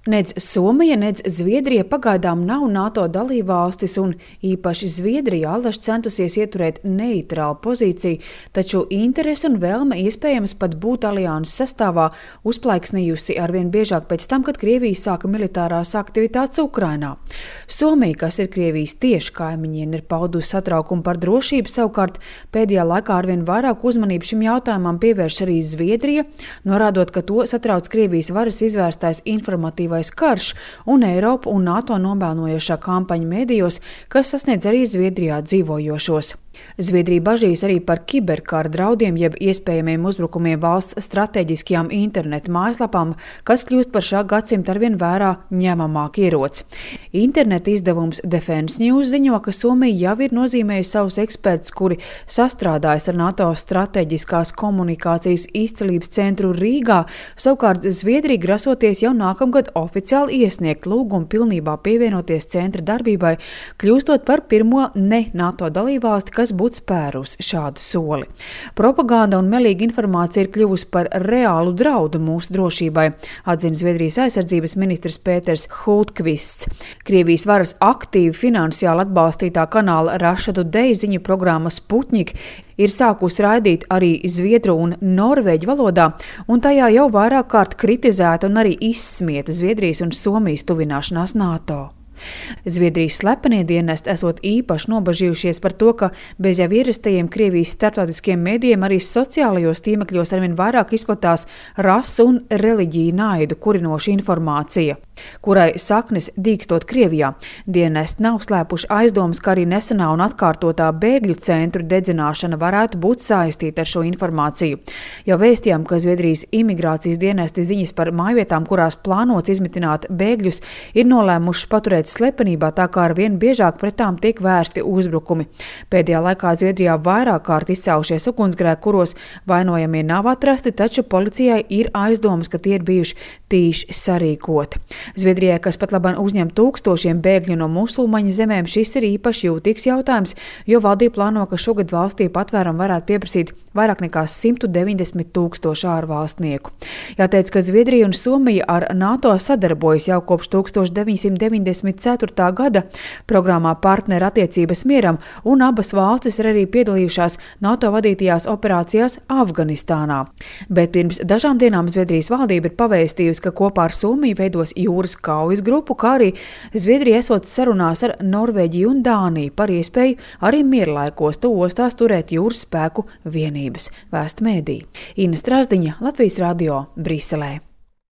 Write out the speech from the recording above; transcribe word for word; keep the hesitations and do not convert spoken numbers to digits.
Nec Somija, nec Zviedrija pagaidām nav NATO dalībvalstis, un īpaši Zviedrija allaž centusies ieturēt neitrālu pozīciju, taču interese un vēlme iespējams pat būt alianses sastāvā uzplaiksnījusi arvien biežāk pēc tam, kad Krievija sāka militārās aktivitātes Ukrainā. Somija, kas ir Krievijas tieši kaimiņiene, ir paudusi satraukumu par drošību, savukārt pēdējā laikā arvien vairāk uzmanību šim jautājumam pievērš arī Zviedrija, norādot, ka to satrauc Krievijas varas izvērstais informatīvais karš un Eiropu un NATO nomelnojošā kampaņa medijos, kas sasniedz arī Zviedrijā dzīvojošos. Zviedrija bažīs arī par kiberkara draudiem, jeb iespējamiem uzbrukumiem valsts strateģiskajām internetu mājaslapām, kas kļūst par šā gadsimta arvien vērā ņemamāk ieroci. Internetu izdevums Defense News ziņo, ka Somija jau ir nozīmējusi savus ekspertus, kuri sastrādājas ar NATO strateģiskās komunikācijas izcelības centru Rīgā, savukārt Zviedrija grasoties jau nākamgad oficiāli iesniegt lūgumu pilnībā pievienoties centra darbībai, kļūstot par pirmo ne NATO dalībvalsti, kas būtu spērus šādu soli. Propaganda un melīga informācija ir kļuvusi par reālu draudu mūsu drošībai, atzina Zviedrijas aizsardzības ministrs Pēters Hultkvists. Krievijas varas aktīvi finansiāli atbalstītā kanāla Russia Today ziņu programma Sputnik ir sākusi raidīt arī zviedru un norvēģu valodā, un tajā jau vairāk kārt kritizēta un arī izsmieta Zviedrijas un Somijas tuvināšanās NATO. Zviedrijas slepenie dienesti esot īpaši nobažījušies par to, ka bez jau ierastajiem Krievijas starptautiskiem mēdījiem arī sociālajos tīmekļos arvien vairāk izplatās rasu un reliģiju naidu kurinoša informācija, kurai saknes dīkstot Krievijā. Dienesti nav slēpuši aizdomas, ka arī nesenā un atkārtotā bēgļu centru dedzināšana varētu būt saistīta ar šo informāciju. Jau vēstījām, ka Zviedrijas imigrācijas dienesti ziņas par mājvietām, kurās plānots izmitināt bēgļus, ir nolēmuši paturēt slepenībā, tā kā arvien biežāk pret tām tiek vērsti uzbrukumi. Pēdējā laikā Zviedrijā vairāk kārt izcēlušies ugunsgrēki, kuros vainojamie nav atrasti, taču policijai ir aizdomas, ka tie ir bijuši tīši sarīkoti. Zviedrijai, kas pat labāk uzņem tūkstošiem bēgļu no musulmaņu zemēm, šis ir īpaši jūtīgs jautājums, jo valdība plāno, ka šogad valstī patvērumu varētu pieprasīt vairāk nekā simt deviņdesmit tūkstoši ārvalstnieku. Jāteic, ka Zviedrija un Somija ar NATO sadarbojas jau kopš tūkstoš deviņsimt deviņdesmit ceturtā gada programmā Partneru attiecības mieram, un abas valstis ir arī piedalījušās NATO vadītajās operācijās Afganistānā. Bet pirms dažām dienām Zviedrijas valdība ir pavēstījusi, ka kopā ar Somiju veidos jūras kaujas grupu, kā arī Zviedrija esot sarunās ar Norvēģiju un Dāniju par iespēju arī mierlaikos tu ostās turēt jūras spēku vienības, vēsta mēdī. Ina Strasdiņa, Latvijas radio, Briselē.